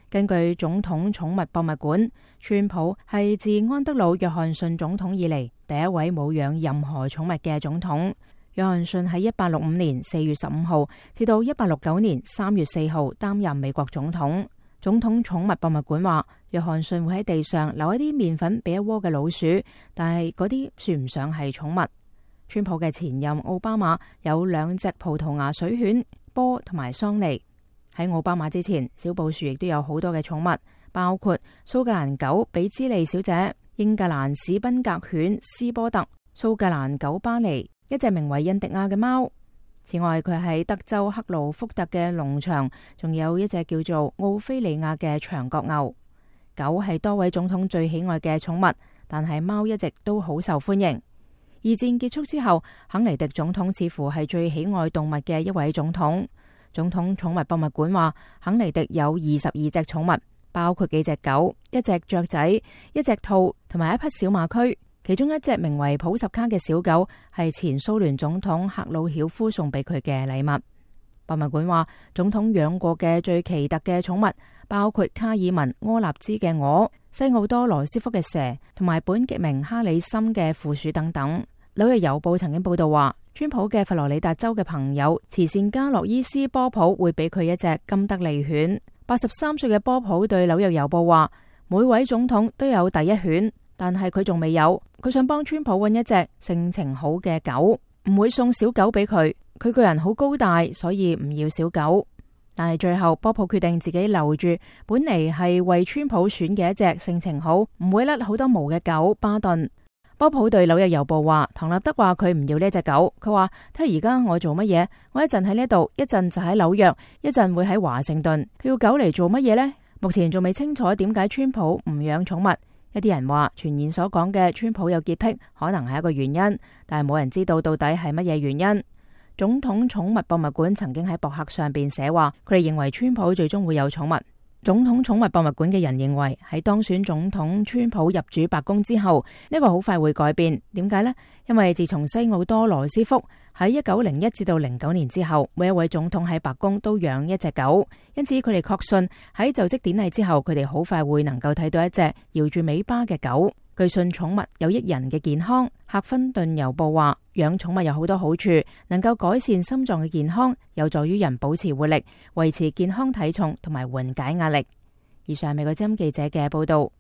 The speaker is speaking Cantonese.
根據總統寵物博物館，川普係自安德魯·約翰遜總統以嚟第一位冇養任何寵物嘅總統。約翰遜喺1865年4月15號至到1869年3月4號擔任美國總統。總統寵物博物館話，約翰遜會喺地上留一啲麵粉俾一窩嘅老鼠，但係嗰啲算唔上係寵物。川普嘅前任奧巴馬有2隻葡萄牙水犬波同埋桑尼。喺奧巴馬之前，小布殊亦都有好多嘅寵物，包括蘇格蘭狗比茲利小姐、英格蘭史賓格犬斯波特、蘇格蘭狗巴尼、一隻名為印迪亞嘅貓。此外，佢喺德州克魯福特嘅農場，仲有一隻叫做奧菲利亞嘅長角牛。狗係多位總統最喜愛嘅寵物，但係貓一直都好受歡迎。二戰結束之後，肯尼迪總統似乎係最喜愛動物嘅一位總統。總統寵物博物館話，肯尼迪有22隻寵物，包括幾隻狗、一隻雀仔、一隻兔同埋一匹小馬駒。其中一隻名為普什卡嘅小狗係前蘇聯總統赫魯曉夫送俾佢嘅禮物。博物館話，總統養過嘅最奇特嘅寵物包括卡爾文柯納茲嘅鵝、西奧多羅斯福嘅蛇同埋本傑明哈里森嘅負鼠等等。紐約郵報曾經報道話，川普嘅佛羅里達州嘅朋友慈善家洛伊斯波普會俾佢一隻金德利犬。83歲嘅波普對紐約郵報話，每位總統都有第一犬，但係佢仲未有。佢想幫川普揾一隻性情好嘅狗，唔會送小狗俾佢。佢個人好高大，所以唔要小狗。但係最後波普決定自己留住本嚟係為川普選嘅一隻性情好、唔會甩好多毛嘅狗巴頓。波普對紐約郵報話，唐納德話佢唔要呢隻狗。佢話，睇下而家我做乜嘢？我一陣喺呢度，一陣就喺紐約，一陣會喺華盛頓。佢要狗嚟做乜嘢呢？目前仲未清楚點解川普唔養寵物。一啲人話，傳言所講嘅川普有潔癖可能係一個原因，但係冇人知道到底係乜嘢原因。總統寵物博物館曾經喺博客上邊寫話，佢哋認為川普最終會有寵物。總統寵物博物館嘅人認為，喺當選總統川普入主白宮之後，呢個好快會改變。點解呢？因為自從西奧多羅斯福喺1901至到09年之後，每一位總統喺白宮都養一隻狗，因此佢哋確信喺就職典禮之後，佢哋好快會能夠睇到一隻搖住尾巴嘅狗。據信寵物有益人嘅健康。赫芬頓郵報話，養寵物有好多好處，能夠改善心臟嘅健康，有助於人保持活力，維持健康體重同埋緩解壓力。以上美國之音記者嘅報道。